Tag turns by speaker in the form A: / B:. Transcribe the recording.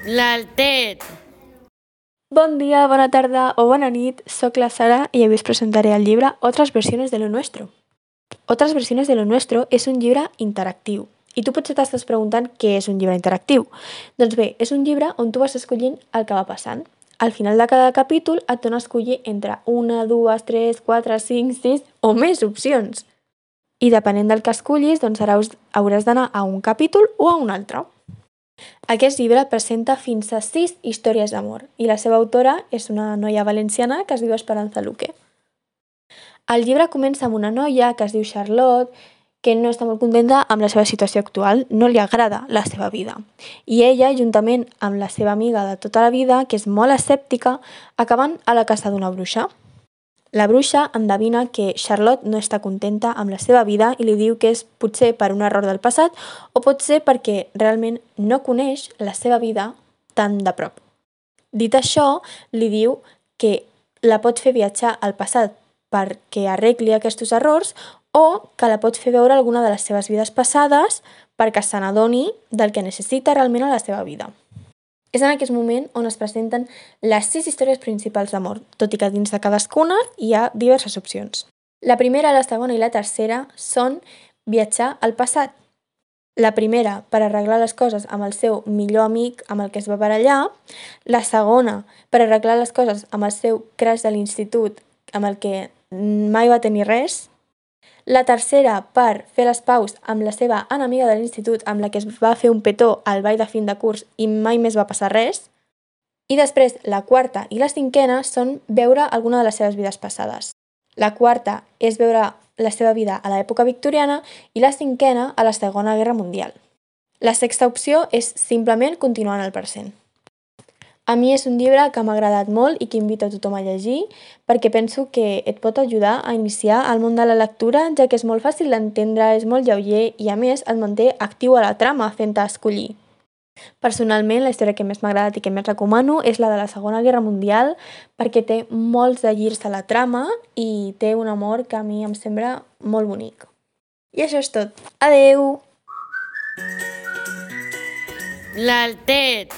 A: L'Altet.
B: Bon dia, bona tarda o bona nit, soc la Sara i avui us presentaré el llibre Otras versiones de lo nuestro. Otras versiones de lo nuestro és un llibre interactiu. I tu potser t'estàs preguntant què és un llibre interactiu. Doncs bé, és un llibre on tu vas escollint el que va passant. Al final de cada capítol et dona a escollir entre 1, 2, 3, 4, 5, 6 o més opcions. I depenent del que escollis, doncs hauràs d'anar a un capítol o a un altre. Aquest llibre presenta fins a 6 històries d'amor i la seva autora és una noia valenciana que es diu Esperanza Luque. El llibre comença amb una noia que es diu Charlotte, que no està molt contenta amb la seva situació actual, no li agrada la seva vida. I ella, juntament amb la seva amiga de tota la vida, que és molt escèptica, acaben a la casa d'una bruixa. La bruixa endevina que Charlotte no està contenta amb la seva vida i li diu que és potser per un error del passat o potser perquè realment no coneix la seva vida tan de prop. Dit això, li diu que la pot fer viatjar al passat perquè arregli aquests errors o que la pot fer veure alguna de les seves vides passades perquè se n'adoni del que necessita realment a la seva vida. És en aquest moment on es presenten les 6 històries principals d'amor, tot i que dins de cadascuna hi ha diverses opcions. La primera, la segona i la tercera són viatjar al passat. La primera, per arreglar les coses amb el seu millor amic amb el que es va barallar. La segona, per arreglar les coses amb el seu crush de l'institut amb el que mai va tenir res. La tercera, per fer les paus amb la seva enemiga de l'institut amb la que es va fer un petó al ball de fin de curs i mai més va passar res. I després, la quarta i la cinquena són veure alguna de les seves vides passades. La quarta és veure la seva vida a l'època victoriana i la cinquena a la Segona Guerra Mundial. La sexta opció és simplement continuar en el present. A mi és un llibre que m'ha agradat molt i que invito a tothom a llegir perquè penso que et pot ajudar a iniciar el món de la lectura, ja que és molt fàcil d'entendre, és molt lleuger i a més et manté actiu a la trama fent-te escollir. Personalment, la història que més m'ha agradat i que més recomano és la de la Segona Guerra Mundial perquè té molts de girs a la trama i té un amor que a mi em sembla molt bonic. I això és tot. Adeu!
A: L'Altet.